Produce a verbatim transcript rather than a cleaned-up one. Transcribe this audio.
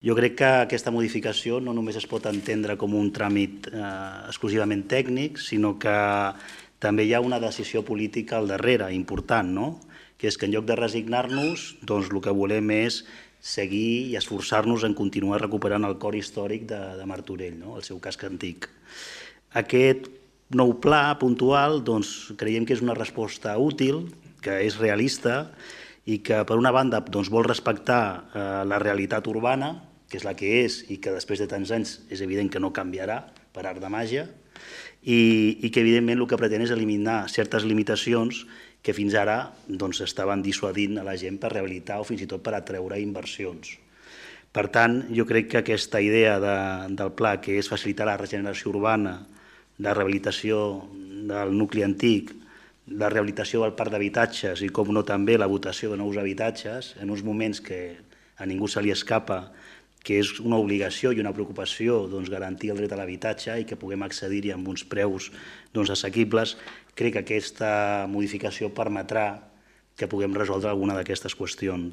Jo crec que aquesta modificació no només es pot entendre com un tràmit eh, exclusivament tècnic, sinó que també hi ha una decisió política al darrere, important, no? Que és que en lloc de resignar-nos, doncs el que volem és seguir i esforçar-nos en continuar recuperant el cor històric de, de Martorell, no? El seu casc antic. Aquest nou pla puntual doncs, creiem que és una resposta útil, que és realista i que, per una banda, doncs, vol respectar eh, la realitat urbana, que és la que és i que després de tants anys és evident que no canviarà per art de màgia, i, i que evidentment el que pretén és eliminar certes limitacions que fins ara doncs, estaven dissuadint a la gent per rehabilitar o fins i tot per atreure inversions. Per tant, jo crec que aquesta idea de, del pla, que és facilitar la regeneració urbana, la rehabilitació del nucli antic, la rehabilitació del parc d'habitatges i, com no, també la votació de nous habitatges, en uns moments que a ningú se li escapa que és una obligació i una preocupació doncs, garantir el dret a l'habitatge i que puguem accedir-hi amb uns preus doncs, assequibles, crec que aquesta modificació permetrà que puguem resoldre alguna d'aquestes qüestions.